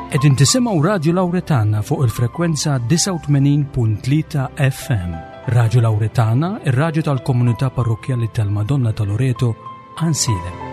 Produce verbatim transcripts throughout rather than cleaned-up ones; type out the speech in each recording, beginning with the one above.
Qegħdin tisimgħu Radio Lauretana fuq il-frekwenza disgħa u tmenin punt tlieta F M. Radio Lauretana, ir-radju tal-komunità parrokjali tal-Madonna ta' Loreto, Għajnsielem.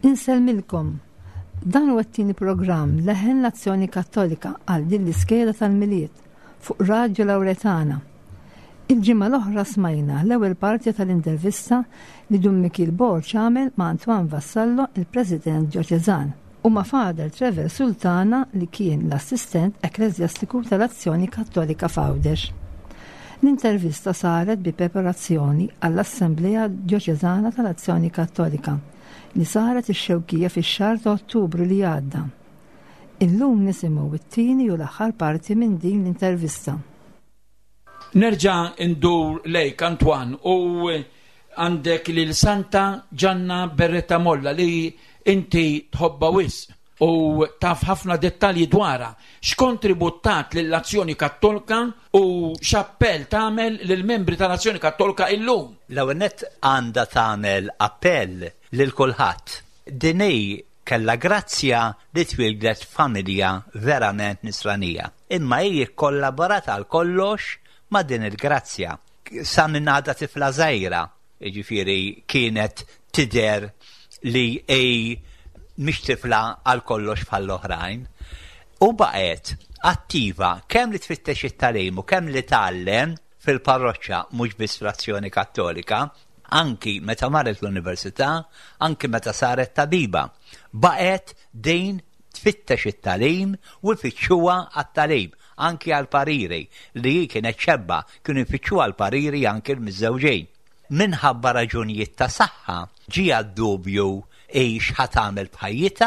Insellmilkom. Dan huwa t-tieni programm Leħen l-Azzjoni Kattolika għal din l-iskeda tal-Milied fuq Radio Lauretana. Il-ġimgħa l-oħra smajna l-ewwel parti tal-intervista li Dun Mikil Borg għamel ma' Antoine Vassallo, il-President Djoċeżan, u ma' Father Trevor Sultana, li kien l-assistent ekklesjastiku tal-Azzjoni Kattolika f'Għawdex. L-intervista saret bi preparazzjoni għall-Assemblea Djoċeżana tal-Azzjoni Kattolika li saret ix-Xewkija fix-xahar ta' Ottubru li għadda. Illum nisimgħu it-tieni u l-aħħar parti minn din l-intervista. Nerġa' ndur lejk, Antoine, u għandek lil Santa Ġanna Beretta Molla li inti tħobba wisq u taf ħafna dettalji dwarha. X'kontribut tat lill-Azzjoni Kattolka u x'appell tagħmel lill-membri tal-Azzjoni Kattolka illum? L-ewwel nett għandha tagħmel appell lil kulħadd. Din hi kellha grazzja li twieldet familja verament nisranija. Imma hi kollaborat għal kollox ma' din il-grazzja. Sa minn għadha tifla żgħira, jiġifieri kienet tidher li hi mhix tifla għal kollox bħall-oħrajn. U baqgħet attiva kemm li tfittex it-tagħlim u kemm li tgħallem fil-parroċċa, mhux biss fl-Azzjoni Kattolika, anki meta marret l-università, anki meta saret tabiba. Baqgħet din tfittex it-tagħlim u jfittxuha għat-tagħlim, anki għal-pariri li hi kienet xebba, kienu jfittxuha għal-pariri anki l-miżżewġin. Minħabba raġunijiet ta' saħħa ġie dubju ħa tagħmel b'ħajjitha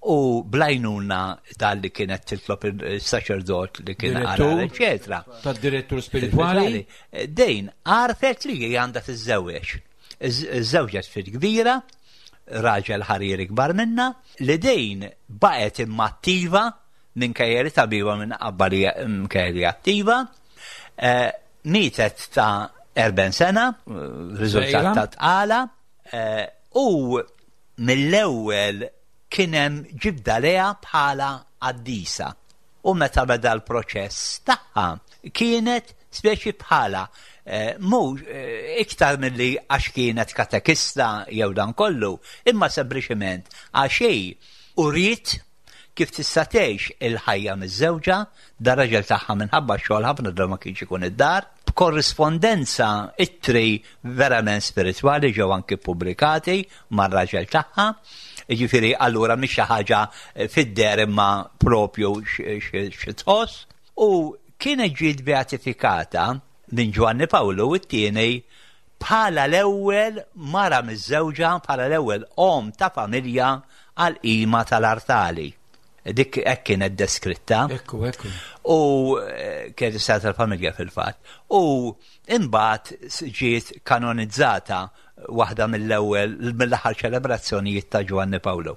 u bl-għajnuna tal-li kienet titlob il-saċerdot li kien Direttur. għara, eccetera. Tad-direttur spiritwali. Din għarfet li hi għandha tiżżewweġ. Iżżewġet fil-kbira, raġel ħariri kbar minna, li din baqgħet imma attiva minkejja li tabiba minn qabba li minkejja li attiva, eh, mietet ta' erbgħin sena, eh, riżultat Żgħira. ta' tqala, eh, u mill-ewwel kien hemm ġibda lejha bħala qaddisa. U meta beda l-proċess tagħha kienet speċi bħala eh, mhux eh, iktar milli għax kienet katekista jew dan kollu, imma sempliċement għax hi uriet kif tista' tgħix il-ħajja miż-żewġa, dar-raġel tagħha minħabba xogħol ħafna drabi ma kienx ikun id-dar, b'korrispondenza, ittri verament spiritwali ġew anki pubblikati mar-raġel tagħha. Jiġifieri allura mhix xi ħaġa fid-deher imma propju xi tħoss. U kienet ġiet beatifikata minn Ġwanni Pawlu it-tieni bħala l-ewwel mara miżżewġa, bħala l-ewwel om ta' familja għal qima tal-artali. Dik hekk kienet deskritta. Ekku, ekku. U eh, kienet is tal-familja fil-fatt. U imbagħad ġiet kanonizzata waħda mill-ewwel mill-aħħar ċelebrazzjonijiet ta' Ġwanni Pawlu.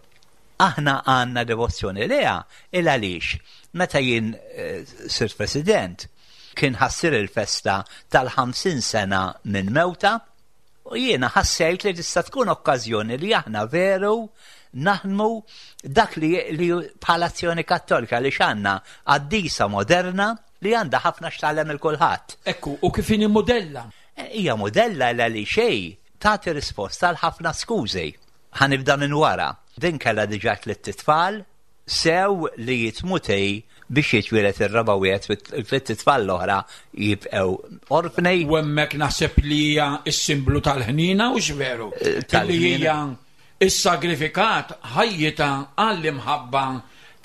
Aħna għandna devozzjoni lejha il għaliex meta jien eh, sirt president kien ħa ssir il-festa tal-ħamsin sena minn mewtha u jiena ħassejt li tista' tkun okkażjoni li aħna veru naħdmu dak li, li bħala Azzjoni Kattolika li għandna qaddisa moderna li għandha ħafna x'tgħallem lil kulħadd. Ekku, u kif inhi modella? Hija modella l għaliex tagħti risposta għal ħafna skużi. Ħa nibda minn wara. Din kellha diġà tliet tfal, sew li tmut hi biex jitwieled ir-raba' wieħed, tliet tfal l-oħra jibqgħu orfni. U hemmhekk naħseb li hija s-simblu tal-ħnina u x'veru. Eh, Li tal-ħnina. hija issagrifikat ħajjitha għall-imħabba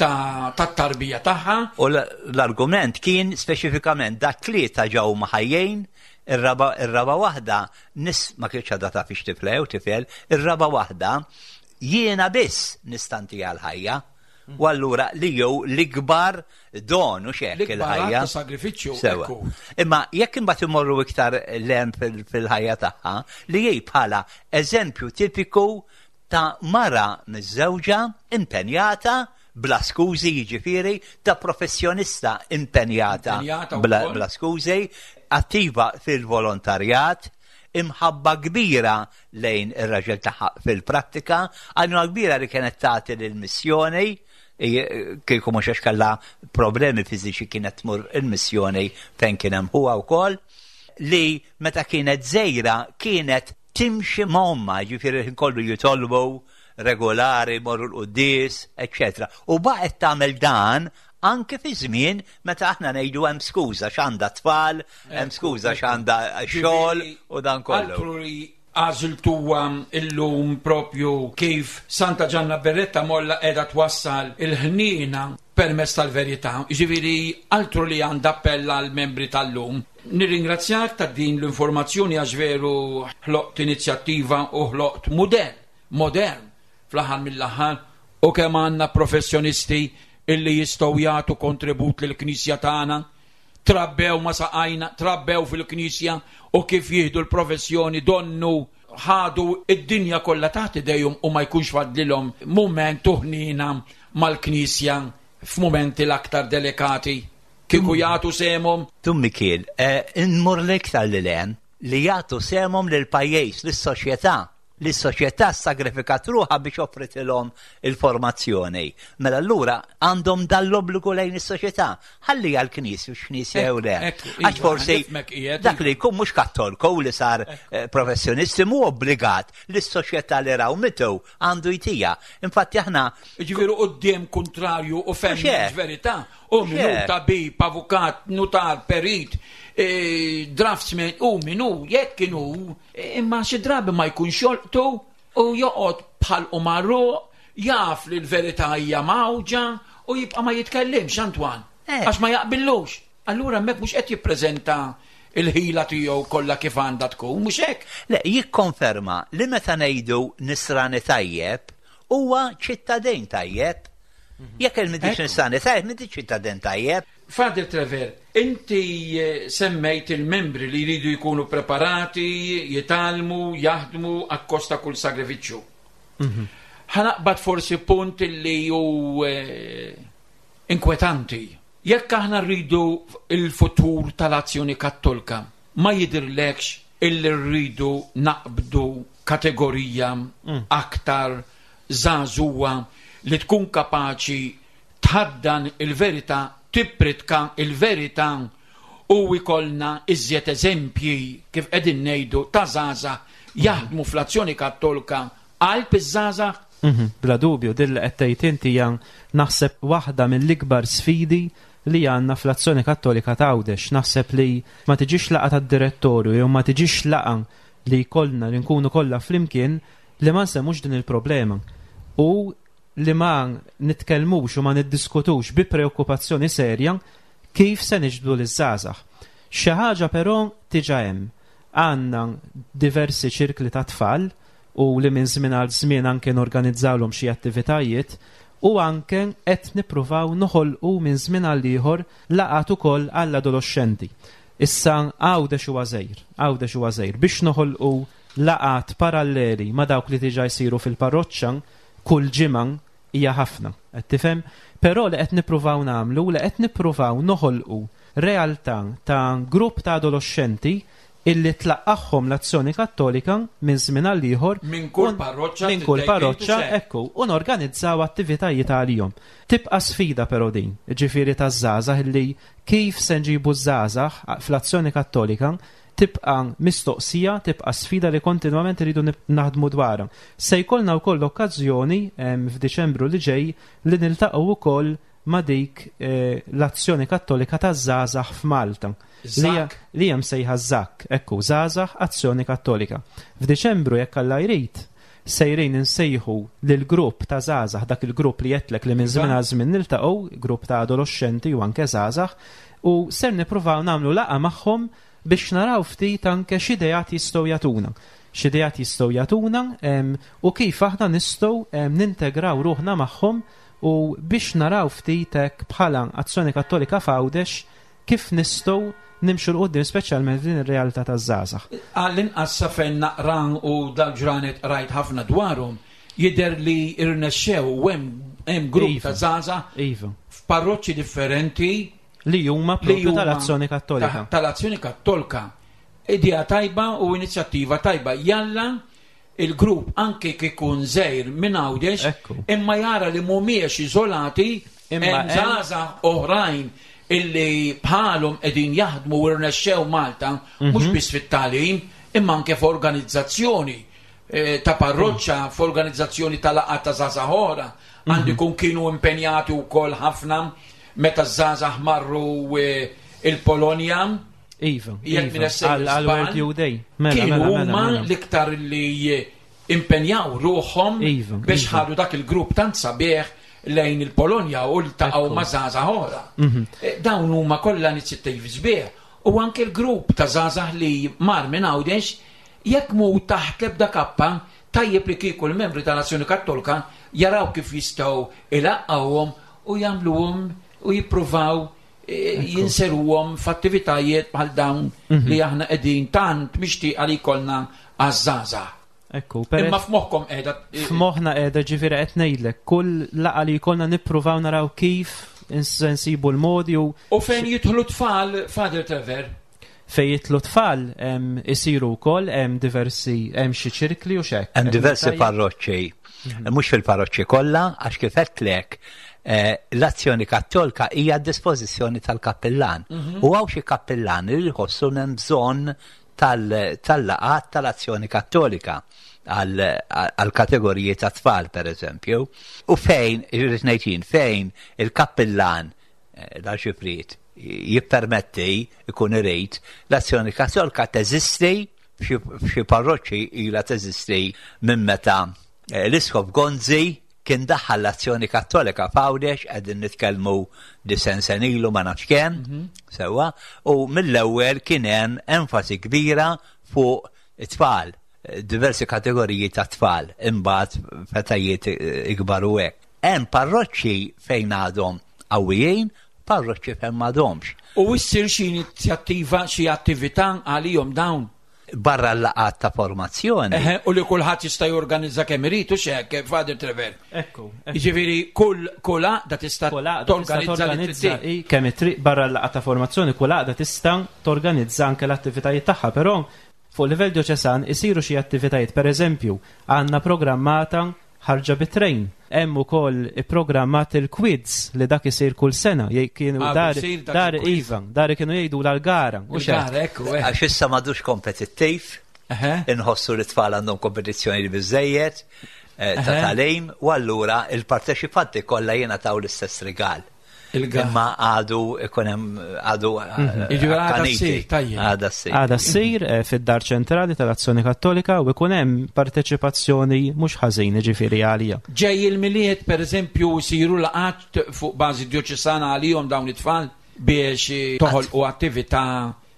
ta' tat-tarbija tagħha. U l- l-argument kien speċifikament da tlieta ġew ħajjin, ir-raba ir-raba waħda nis ma kienx għadha taf hix tifla jew tifel, ir-raba waħda jiena biss nista' ntiha l-ħajja. U allura li jew l-ikbar don u xek L-ikbar il-ħajja. att ta' sagrifiċċju, Sewa. ekku. Imma jekk imbagħad imorru iktar lem fil- fil-ħajja tagħha, li hi bħala eżempju tipiku ta' mara miżżewġa impenjata bla skużi, jiġifieri ta' professjonista impenjata Impenjata bla, wkoll. bla skużi, attiva fil-volontarjat, imħabba kbira lejn ir-raġel tagħha fil-prattika, għajnuna kbira li kienet tagħti lill-missjoni, kieku mhux għax kellha problemi fiżiċi kienet tmur il-missjoni fejn kien hemm huwa wkoll, li meta kienet żgħira kienet timxi ma' ommha, ġifieri kollu jitolbu regolari, morru l-quddies, eccetera. U baqgħet tagħmel dan anke fi żmien meta aħna ngħidu hemm skuża x'għandha tfal, hemm skuża x'għandha xogħol u dan kollu. Altru li għażiltuha illum propju kif Santa Ġanna Beretta Molla qiegħda twassal il-ħnina permezz tal-verità. Ġifieri altru li għandha appella għal membri tal-lum. Nirringrazzjak ta' din l-informazzjoni għax veru ħloqt inizjattiva u ħloqt modell, modern fl-aħħar mill-aħħar, u kemm għandna professjonisti illi jistgħu jagħtu kontribut lill-Knisja tagħna, trabbew ma saqajna, trabbew fil-Knisja u kif jieħdu l-professjoni donnu ħadu id-dinja kollha taħt idejhom u ma jkunx fadlilhom mument u ħnina mal-Knisja f'mumenti l-aktar delikati. Kieku jagħtu sehemhom. Dun Mikiel, eh, immur l-iktar li lem li jagħtu sehemhom lil pajjiż, lis-soċjetà. Lis-soċjetà sagrifikat ruħha biex offritilhom il-formazzjoni. Mela allura għandhom dal-obbligu lejn is-soċjetà. Ħalli għall-Knisja u x'Knisja jew le. Ekku, Għax iva, forsi nifhmek qiegħed, dak li jkun mhux kattolku u li sar eh, professjonisti mhu obbligat lis-soċjetà li raw mitu għandu jtija. Infatti aħna Ġifieri quddiem kontrarju u Mhux hekk. verità. U Mhux minu hekk. tabib, avukat, nutar, perit, eh, draftsman, u minu, jekk kienu, eh, imma xi drabi ma jkunx jolqtu u joqgħod bħal u marru, jaf li l-verità hija mawġa u jibqa' ma jitkellimx, Antoine. Eh. Għax ma jaqbillux. Allura hemmhekk mhux qed jippreżenta il-ħila tiegħu kollha kif għandha tkun, mhux hekk? Le, jikkonferma li meta ngħidu nisrani tajjeb huwa ċittadin tajjeb. Jekk il-m'intix Ekku. nisrani tajjeb, m'intix ċittadin tajjeb. Father Trevor, inti eh, semmejt il-membri li jridu jkunu preparati, jitgħallmu, jaħdmu akkost ta' kull sagrifiċċju. Ħa naqbad forsi punt li hu eh, inkwetanti. Jekk aħna rridu il-futur tal-Azzjoni Kattolika, ma jidirlekx illi rridu naqbdu kategorija aktar żagħżugħa li tkun kapaċi tħaddan il-verità, tippritka il-verità u jkollna iżjed eżempji kif qegħdin ngħidu ta' żgħażagħ jaħdmu fl-Azzjoni Kattolika qalb iż-żgħażagħ? Mhm, Bla dubju, din li qed tgħid inti hija naħseb waħda mill-ikbar sfidi li għandna fl-Azzjoni Kattolika ta' Għawdex. Naħseb li ma tiġix laqgħa tad-direttorju jew ma tiġix laqgħa li jkollna li nkunu kollha flimkien li ma nsemmux din il-problema. U li ma nitkellmux u ma niddiskutux bi preokkupazzjoni serja kif se niġbdu liż-żgħażagħ. Xi ħaġa però diġà hemm. Għandna diversi ċirkli ta' tfal u li minn żmien għal żmien anke norganizzawlhom xi attivitajiet u anke qed nippruvaw noħolqu minn żmien għal ieħor laqgħat ukoll għall-adolescenti. Issa Għawdex huwa żgħir, Għawdex huwa żgħir biex noħolqu laqgħat paralleli ma' dawk li diġà jsiru fil-parroċċa kull ġimgħa hija ħafna, qed tifhem? Però li qed nippruvaw nagħmlu, li qed nippruvaw noħolqu realtà ta' grupp ta' adolescenti illi tlaqqagħhom l-Azzjoni Kattolika minn żmien għal ieħor Minn kull un- parroċċa minn kull titgħid parroċċa, intu ekku, u norganizzaw attivitajiet għalihom. Tibqa' sfida però din, ġifieri taż-żgħażagħ illi kif se nġibu żgħażagħ fl-Azzjoni Kattolika. Tibqa' mistoqsija, tibqa' sfida li kontinwament iridu naħdmu dwarha. Se jkollna wkoll okkażjoni f'Diċembru li ġej li niltaqgħu wkoll ma' dik eh, l-Azzjoni Kattolika taż-żgħażagħ f'Malta. Li hemm sejħa ŻAK, ekku, Żgħażagħ Azzjoni Kattolika. F'Diċembru, jekk Alla jrid, sejrin insejħu lil grupp ta' żgħażagħ, dak il-grupp li għedtlek li minn żmien għal żmien niltaqgħu, grupp ta' adolescenti u anke żgħażagħ, u ser nippruvaw nagħmlu laqgħa magħhom biex naraw ftit anke x'ideat jistgħu jagħtuna. X'ideat jistgħu jagħtuna u kif aħna nistgħu nintegraw ruħna magħhom u biex naraw ftit hekk bħala Azzjoni Kattolika f'Għawdex kif nistgħu nimxu 'l quddiem, speċjalment din ir-realtà taż-żgħażagħ. Għall-inqas sa fejn naqra u dal-ġranet rajt ħafna dwarhom, jidher li irnexxew u hemm grupp Iva. ta' żgħażagħ Iva. f'parroċċi differenti li huma li propju huma tal-Azzjoni Kattolika. ta- Tal-Azzjoni Kattolika. Idea tajba u inizjattiva tajba. Jalla il-grupp, anke kikun żgħir minn Għawdex, Ekku. imma jara li mhumiex iżolati, Imma hemm hemm- żgħażagħ oħrajn illi bħalhom qegħdin jaħdmu u rnexxew Malta, mhux Mhm. biss fit-tagħlim, imma anke f'organizzazzjoni eh, ta' parroċċa, f'organizzazzjoni ta' laqgħa ta' żgħażagħ oħra. Għandu jkun kienu impenjati wkoll ħafna meta żgħażagħ marru eh, il-Polonja. Iva, Jekk iva, minn essejjer għal għal żball, World Youth Day. Mela, kienu mela, mela, huma mela. l-iktar li impenjaw ruħhom Iva, biex iva. ħadu dak il-grupp tant sabiħ lejn il-Polonja u ltaqgħu Ekku. ma' żgħażagħ oħra. Mhm. Eh, Dawn huma kollha inizjattivi sbieħ. U anke l-grupp ta' żgħażagħ li mar minn Għawdex, jekk mu taħt l-ebda kappa, tajjeb li kieku l-membri tal-Azzjoni Kattolika jaraw kif jistgħu ilaqqawhom u jagħmluhom u jippruvaw eh, jinseruhom f'attivitajiet bħal dawn Mhm. li aħna qegħdin tant mixtieqa li jkollna għaż-żgħażagħ. Ekku, per Imma f'moħħkom qiegħda f'moħħna qiegħda, ġifieri qed ngħidlek, kull laqgħa li jkollna nippruvaw naraw kif ins- nsibu l-modi u U fejn jidħlu tfal, Father Trevor? Fejn jidħlu tfal em, isiru wkoll, hemm diversi, hemm xi ċirkli u xek. Hemm diversi Tajjeb. parroċċi, mhux fil-parroċċi kollha, għax kif għedtlek eh, l-Azzjoni Kattolika hija a dispożizzjoni tal-kappillan. U hawn xi kappillani li jħossu hemm bżonn tal- tal-laqat tal-Azzjoni Kattolika għal kategoriji ta' tfal, per eżempju. U fejn, irrid ngħid jien, fejn il-kappillan, eh, l-arċipriet, jippermetti, ikun irid, l-Azzjoni Kattolika teżisti f'xi f'xi parroċċi, ilha teżisti minn meta eh, l-Isqof Gonzi kien daħħal l-Azzjoni Kattolika f'Għawdex, qegħdin nitkellmu disgħin sena ilu, ma nafx kemm, sewwa, u mill-ewwel kien hemm enfasi kbira fuq it-tfal, eh, diversi kategoriji ta' tfal, imbagħad f'etajiet ikbar u hekk. Hemm parroċċi fejn għadhom qawwijin, parroċċi fejn m'għadhomx. U issir xi inizjattiva, xi attività għalihom dawn? Barra l-laqat ta' formazzjoni. Eħe, u li kulħadd jista' jorganizza kemm irid u x'hekk, Father Trevor? Ekku. ekku. Jiġifieri kull kull għaqda tista' Kull għaqda tista' torganizza li torganizza trid. i kemm it-triq barra l-laqgħa ta' formazzjoni, kull għaqda tista' torganizza anke l-attivitajiet tagħha, però fuq livell dioċesan isiru xi attivitajiet. Per eżempju, għandna programmata ħarġa bit-trejn. Hemm ukoll ipprogrammat il-quiz li dak isir kull sena. Jgħid kienu Ah, dar isir dak dar il-quiz. iva, dar kienu jgħidu l-gara. U x'hekk. Il-gara, ekku, eh. Għax issa m'għadux kompetittiv, Eħe. inħossu li tfal għandhom kompetizzjoni li biżejjed eh, ta' Eħe. tagħlim, u allura il-parteċipanti kollha jingħataw l-istess rigal. Il-gara. Imma għadu ikun hemm għadu eh, Jiġifieri għadha akkaniti. ssir, tajjeb. Għadha ssir. Għada ssir eh, fid-dar ċentrali tal-Azzjoni Kattolika u ikun hemm parteċipazzjoni mhux ħażin, ġifieri, għalija. Ġej il-Milied, per eżempju, siru laqat fuq bażi dioċesana għalihom dawn it-tfal biex toħolqu attività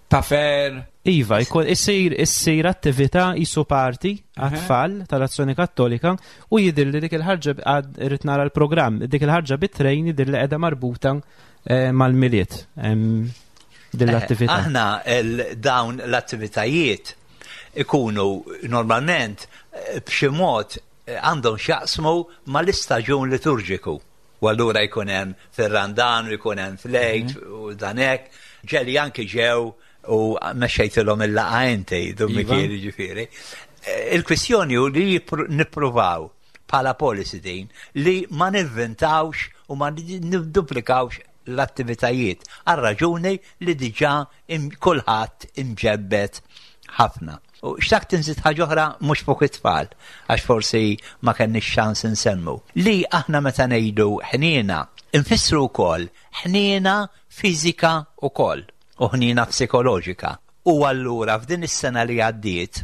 ta' fer? Iva, jkun issir issir attività jisu parti għat-tfal tal-Azzjoni Kattolika u jidir li dik il-ħarġa, għad irrid nara l-programm, dik il-ħarġa bit-trejn jidir li qiegħda marbuta eh, mal-Milied em, din l-attività. Eh, Aħna il- dawn l-attivitajiet ikunu normalment eh, b'xi mod eh, għandhom x'jaqsmu mal-istaġun liturġiku. U allura jkun hemm fir-Randan u jkun hemm fl-Għid u dan hekk. Ġeli anki ġew u mexxejtilhom il-laqgħa inti, Dun Iva. Mikieli, ġifieri. Eh, Il-kwistjoni hu li jippru- nippruvaw bħala policy din li ma nivventawx u ma nidduplikawx l-attivitajiet għal raġuni li diġà kulħadd imġebbed ħafna. U xtaqt inżid ħaġa oħra mhux fuq it-tfal, għax forsi ma kenniex ċans insemmu. Li aħna meta ngħidu ħniena, infissru wkoll ħniena fiżika wkoll u ħniena psikoloġika. U allura f'din is-sena li għaddiet,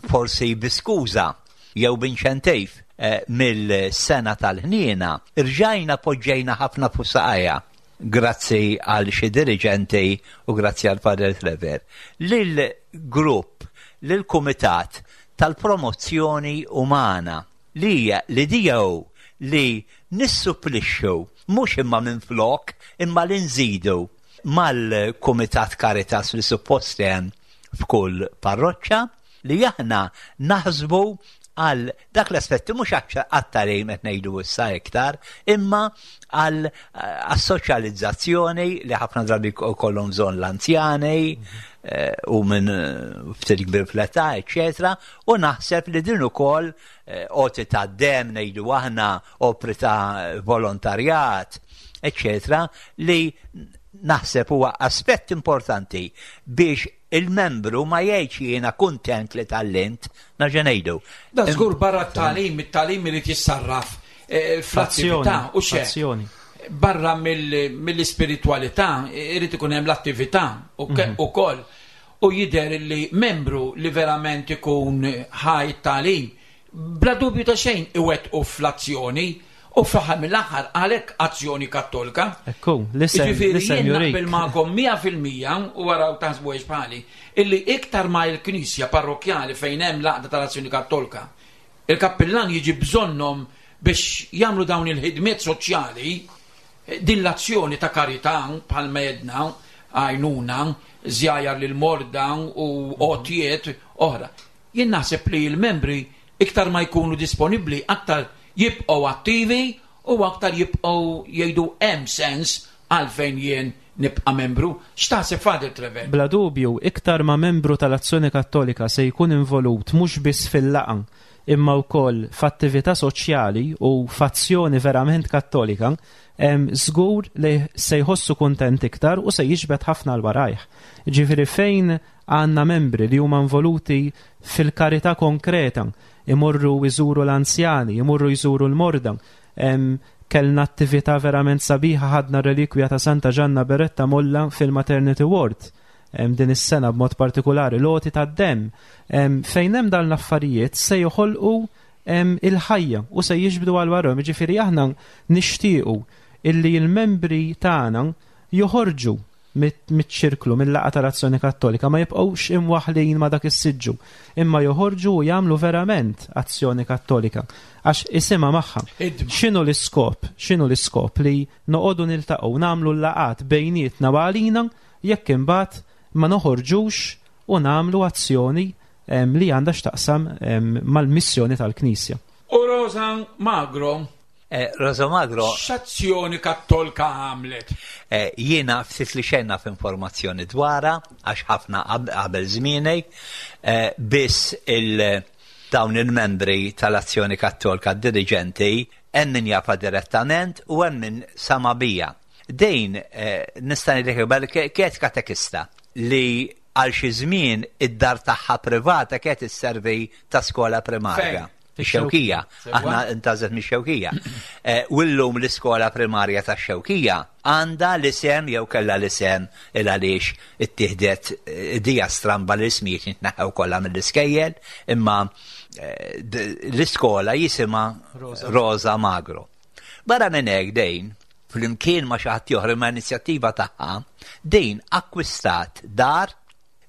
forsi bi skuża jew b'inċentiv eh, mill-sena tal-ħniena, irġajna poġġejna ħafna fuq saqajja grazzi għal xi diriġenti u grazzi għal Father Trevor. Lil grupp, lil kumitat tal-promozzjoni umana li hija l-idea hu li nissupplixxu mhux imma minn flok imma li nżidu mal-Kumitat Caritas li suppost hemm f'kull parroċċa li aħna naħsbu għal dak l-aspetti mhux għat-tagħlim qed ngħidu issa iktar, imma għal soċjalizzazzjoni li ħafna drabi kollhom bżonn l-anzjani eh, u minn ftit kbir fl-età, eċetera, u naħseb li din ukoll eh, għoti ta' dem ngħidu aħna opri ta' volontarjat, eċetera, li naħseb huwa aspett importanti biex il-membru ma jgħidx jiena kuntent li tgħallimt, nerġa' ngħidu. Da żgur barra t-tagħlim, it-tagħlim irid jissarraf eh, fl-attività u xe. Azzjoni. Barra mill-ispiritualità irid ikun hemm l-attività ukoll. U jidher li membru li verament ikun ħa t-tagħlim, bla dubju ta' xejn iwettqu fl-azzjoni u fl-aħħar mill-aħħar għalhekk Azzjoni Kattolika. Ekku, l-isem Ġifieri l-isem jien jurik. naqbel magħkom mija fil-mija u waraw taħsbu għex bħali, illi iktar ma il-Knisja parrokjali fejn hemm l-għaqda tal-Azzjoni Kattolika, il-kappillan jiġi bżonnhom biex jagħmlu dawn il-ħidmiet soċjali, din l-azzjoni ta' karità bħal medna, għajnuna, żjajjar lil morda u għotjiet oħra. Jien naħseb li l-membri iktar ma jkunu disponibbli, aktar jibqgħu attivi u aktar jibqgħu jgħidu hemm sens għalfejn jien nibqa' membru. X'taħseb Father Trevor? Bla dubju, iktar ma membru tal-Azzjoni Kattolika se jkun involut mhux biss fil-laqgħa imma wkoll f'attività soċjali u f'azzjoni verament kattolika, em, żgur li se jħossu kuntent iktar u se jiġbed ħafna 'l warajh. Ġifieri fejn għandna membri li huma involuti fil-karità konkreta, imorru jżuru l-anzjani, imorru jżuru l-morda, em, kellna attività verament sabiħa ħadna relikwja ta' Santa Ġanna Beretta Molla fil-Maternity Ward em, din is-sena b'mod partikolari l-għoti tad-dem em, fejn hemm dan l-affarijiet se joħolqu em, il-ħajja u se jiġbdu għal warahom. Ġifieri aħna nixtiequ illi l-membri tagħna joħorġu mit-ċirklu, mill-laqgħa tal-Azzjoni Kattolika, ma jibqgħux imwaħlin ma dak is-siġġu, imma joħorġu u jagħmlu verament azzjoni kattolika għax isimha magħha. Ħidma. X'inhu l-iskop? X'inhu l-iskop li noqogħdu niltaqgħu nagħmlu l-laqgħat bejnietna u għalina jekk imbagħad ma noħorġux u nagħmlu azzjoni em, li għandha x'taqsam em, mal-missjoni tal-Knisja. U Rosa Magro, Eh, Rosa Magro, x'azzjoni kattolika għamlet? eh, jiena ftit li xejn naf informazzjoni dwarha, għax ħafna qab- qabel żmieni, eh, biss il dawn il-membri tal-Azzjoni Kattolika diriġenti hemm min jafha direttament u hemm min sama bija. Din eh, nista' ngħidlek bel kienet katekista li għal xi żmien id-dar tagħha privata kienet isservi ta' skola primarja. Fejn? Ix-Xewkija. Sewwa. Aħna intgħażlet mix-Xewkija. Eh, U llum l-iskola primarja ta' Xewkija għandha l-isem jew kellha l-isem il għaliex ittieħdet eh, dija stramba l-ismijiet jitneħħew kollha mill-iskejjel, imma eh, d- l-iskola jisimha Rosa Magro. Barra minn hekk dejn, flimkien ma' xi ħadd ieħor ma' inizjattiva tagħha, din akkwistat dar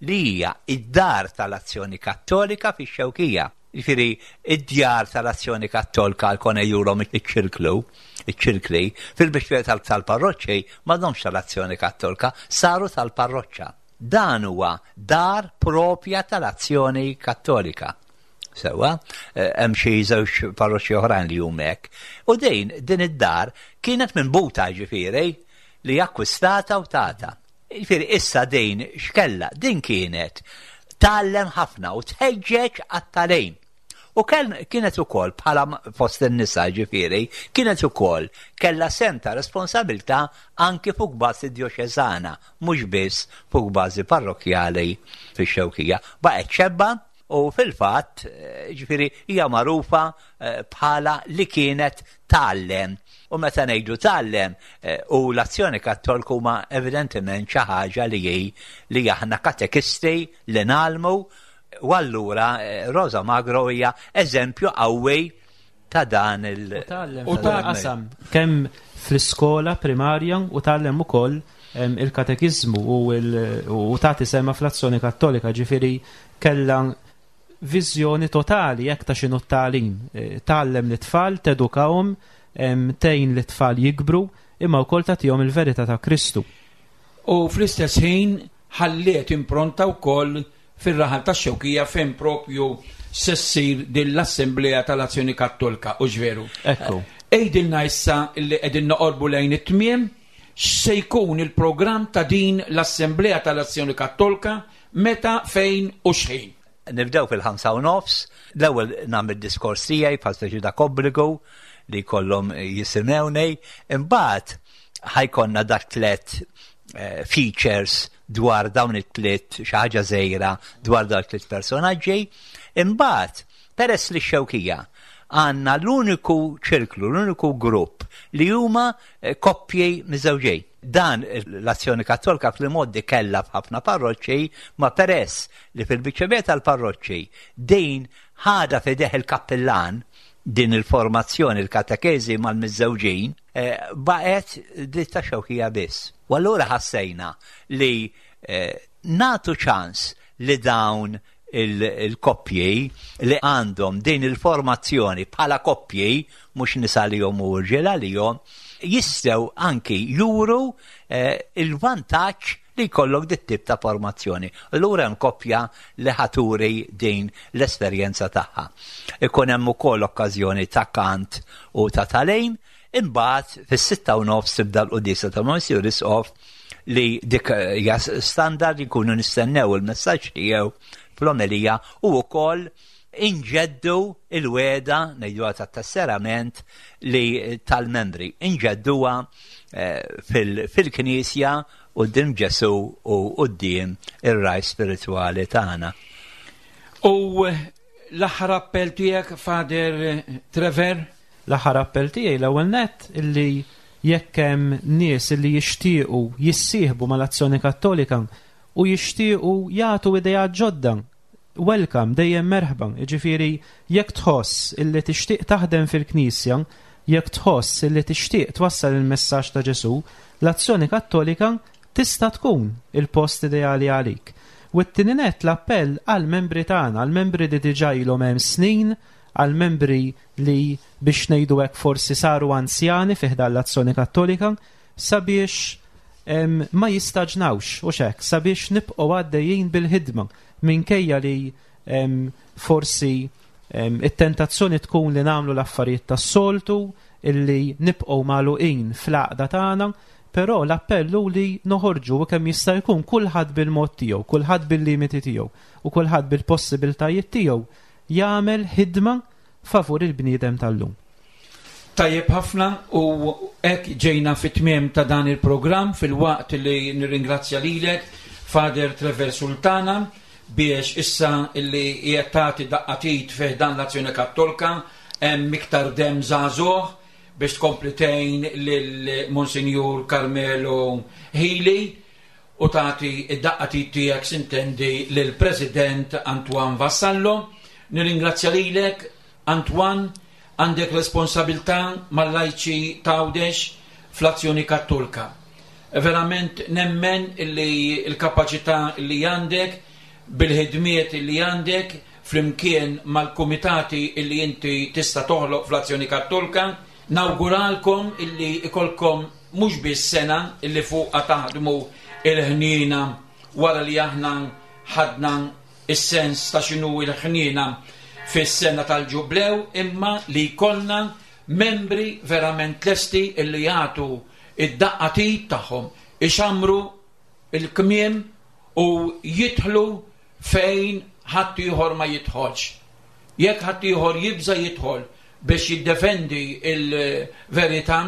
li hija id-dar tal-Azzjoni Kattolika fix-Xewkija. Jiġifieri id-djar tal-Azzjoni Kattolika għal konna jurhom iċ-ċirklu, iċ-ċirkli, fil-biċċa tal- tal-parroċċi m'għadhomx tal-Azzjoni Kattolika, saru tal-parroċċa. Dan huwa dar propja tal-Azzjoni Kattolika. Sewwa, eh, hemm xi żewġ parroċċi oħrajn li huma hekk. U din din id-dar kienet minn buta ġifieri li akkwistata u tata. Ġifieri issa din x'kella, din kienet tgħallem ħafna u tħeġġeġ għat-tagħlim. U kienet ukoll bħala fost in-nisa, ġifieri, kienet ukoll kellha sehem ta' responsabilità anki fuq bażi djoċeżana, mhux biss fuq bażi parrokkjali fix-Xewkija. Baqgħet xebba u fil-fatt, ġifieri, hija magħrufa bħala li kienet tgħallem. U meta ngħidu tgħallem u l-Azzjoni Kattolika huma evidentement xi ħaġa li hi li aħna katekisti li ngħallmu, u allura Rosa Magro hija eżempju qawwi ta' dan il- U tgħallem kemm fl-iskola primarja u tgħallem ukoll il-katekiżmu u tagħti sehemha fl-Azzjoni Kattolika, ġifieri kellha viżjoni totali jekk ta' x'inhu t-tagħlim. Tgħallem lit-tfal, tedukahom, tgħin lit-tfal jikbru, imma wkoll tagħtihom il-verità ta' Kristu. U fl-istess ħin ħalliet impronta wkoll fir-raħal tax-Xewkija fejn propju se ssir din l-Assemblea tal-Azzjoni Kattolika, u veru? Ekku. Għidilna issa li qegħdin noqorbu lejn it-tmiem, x'se jkun il-programm ta' din l-Assemblea tal-Azzjoni Kattolika, meta, fejn u x'ħin? Nibdew fil-ħamsa u nofs, l-ewwel nagħmel diskors tiegħi bħal speċi dak obbligu li kollhom jisimgħuni, imbagħad ħa jkollna dak tliet features dwar dawn it-tliet, xi ħaġa żgħira dwar dawn it-tliet personaġġi. Imbagħad, peress li x-Xewkija għandna l-uniku ċirklu, l-uniku grupp li huma koppji miżżewġin. Dan l-Azzjoni Kattolika fl-modi kellha f'ħafna parroċċi, ma peress li fil-biċċa tal-parroċċi din ħadha f'idejh il-kappillan, din il-formazzjoni, il-katekezi mal-miżżewġin, baqgħet dik tax-Xewkija biss. U allura ħassejna li nagħtu ċans li dawn il-koppji li għandhom din il-formazzjoni bħala koppji, mhux nisa li jom u rġiel għalihom, jistgħu anki juru il-vantaġġ li jkollok dit tip ta' formazzjoni. Allura hemm koppja li ħa turi din l-esperjenza tagħha. Ikun hemm ukoll okkażjoni ta' kant u ta' tagħlim, imbagħad fis-sitta u nofs tibda l-quddiesa ta' Monsignor Isqof li dik hija standard, jkunu nistennew il-messaġġ tiegħu fl-omelija u wkoll inġeddu il-wegħda, ngħiduha tat-tesserament li tal-membri, inġedduha fil-Knisja quddiem Ġesù u quddiem ir-ragħaj spiritwali tagħna. U l-aħħar appell tiegħek, Father Trevor? L-aħħar appell tiegħi l-ewwel nett illi jekk hemm nies illi jixtiequ jissieħbu mal-Azzjoni Kattolika u jixtiequ jagħtu idea ġodda, welcome, dejjem merħba. Jiġifieri jekk tħoss illi tixtieq taħdem fil-Knisja, jekk tħoss illi tixtieq twassal il-messaġġ ta' Ġesù, l-Azzjoni Kattolika tista' tkun il-post ideali għalik. U t-tieni nett l-appell għal-membri tagħna, għal-membri li diġà ilhom hemm snin, għal-membri li biex ngħidu hekk forsi saru anzjani fi ħdan l-Azzjoni Kattolika, sabiex ma jistaġnawx u xek, sabiex nibqgħu għaddejjin bil-ħidma minkejja li forsi it-tentazzjoni tkun li nagħmlu l-affarijiet tas-soltu, illi nibqgħu magħluqin fl-għaqda tagħna, però l-appell hu li noħorġu kemm jista' jkun kulħadd bil-mod tiegħu, kulħadd bil-limiti tiegħu u kulħadd bil-possibiltajiet tiegħu jagħmel ħidma favur il-bniedem tal-lum. Tajjeb ħafna, u hekk ġejna fit-tmiem ta' dan il-programm, fil-waqt li nirringrazzja lilek, Father Trevor Sultana, biex issa illi qiegħed tagħti daqqa t'id fih dan l-Azzjoni Kattolika hemm iktar dem żagħżugħ biex tkompli tgħin lil Monsinjur Carmelo Hili u tagħti id-daqqa t'id tiegħek sintendi lil President Antoine Vassallo. Nirringrazzja lilek, Antoine, għandek responsabilità mal-lajċi t'Għawdex fl-Azzjoni Kattolika. Verament nemmen illi l-kapaċità li għandek, bil-ħidmiet li għandek, flimkien mal-kumitati illi inti tista' toħloq fl-Azzjoni Kattolika, nawguralkom illi ikolkom mhux biss sena illi fuqha taħdmu il-ħniena wara li aħna ħadna is-sens ta' x'inhu il-ħniena fis-sena tal-ġublew, imma li jkollna membri verament lesti illi jagħtu id-daqqa t'id tagħhom, ixamru il-kmiem u jidħlu fejn ħadd ieħor ma jidħolx. Jekk ħaddieħor jibża jidħol biex jiddefendi il-verità,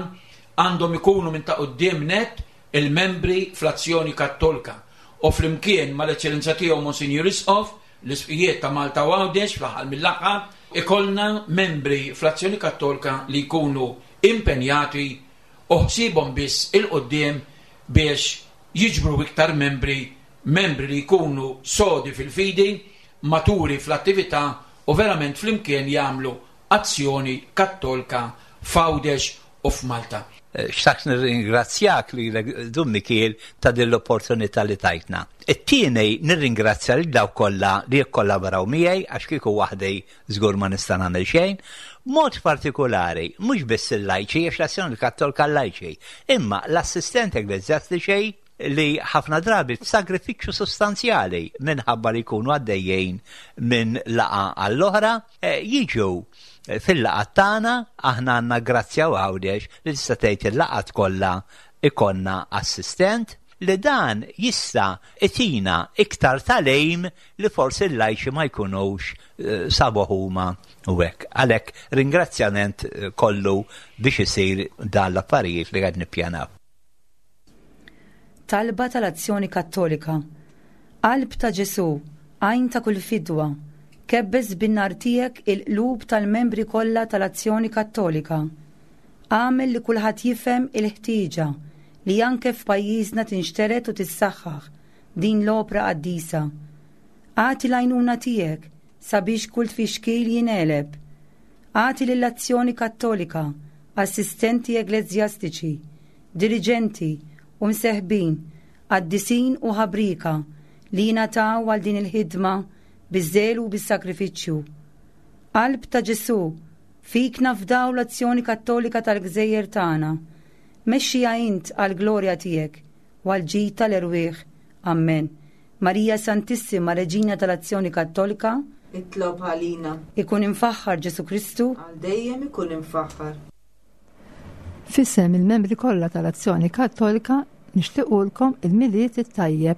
għandhom ikunu minn ta' quddiem net il-membri fl-Azzjoni Kattolika. U flimkien mal-Eċċellenza tiegħu Monsinjur Isqof, l-Isqfijiet ta' Malta u Għawdex fl-aħħar mill-aħħar, ikollna membri fl-Azzjoni Kattolika li jkunu impenjati u ħsiebhom biss 'il quddiem biex jiġbru iktar membri, membri li jkunu sodi fil-fidi, maturi fl-attività u verament flimkien jagħmlu azzjoni kattolika f'Għawdex u f'Malta. Xtaqt nirringrazzjak lilek Dun Mikiel ta' din l-opportunità li tajtna. It-tieni nirringrazzja lil dawk kollha li jikkollaboraw miegħi għax kieku waħdi żgur ma nista' nagħmel xejn. Mod partikolari, mhux biss il-lajċi, għax l-Azzjoni Kattolika lajċi, imma l-assistenti ekkleżjastiċi li ħafna drabi sagrifiċċju sostanzjali minħabba li jkunu għaddejjin minn laqgħa għall-oħra, eh, jiġu fil-laqgħat tagħna. Aħna għandna grazzja Għawdex li tista' tgħid il-laqgħat kollha ikollna assistent li dan jista' jtina iktar tagħlim li forsi l-lajċi ma jkunux eh, sabu huma u hekk. Għalhekk ringrazzjament eh, kollu biex isir dan l-affarijiet li qed nippjanaw. Talba tal-Azzjoni Kattolika. Qalb ta' Ġesu, għajn ta' kull fidwa, kebbes bin-nar tiegħek il-qlub tal-membri kollha tal-Azzjoni Kattolika. Agħmel li kulħadd jifhem il-ħtieġa li anke f'pajjiżna tinxtered u tissaħħaħ din l-opra qaddisa. Agħti l-għajnuna tiegħek sabiex kull tfixkil jingħeleb. Agħti lill-Azzjoni Kattolika, assistenti ekleżjastiċi, diriġenti u mseħbin, qaddisin u ħabrika li jingħataw għal din il-ħidma biż-żelu u bis-sakrifiċċju. Qalb ta' Ġesu, fik nafdaw l-Azzjoni Kattolika tal-Gżejjer tagħna. Mexxija int għall-glorja tiegħek u għall-ġid tal-erwieħ. Amen. Marija Santissima, Reġina tal-Azzjoni Kattolika, Itlob għalina. Ikun imfaħħar Ġesu Kristu. Għal dejjem ikun imfaħħar. F'isem il-membri kollha tal-Azzjoni Kattolika nixtiequlkom il-Milied it-tajjeb.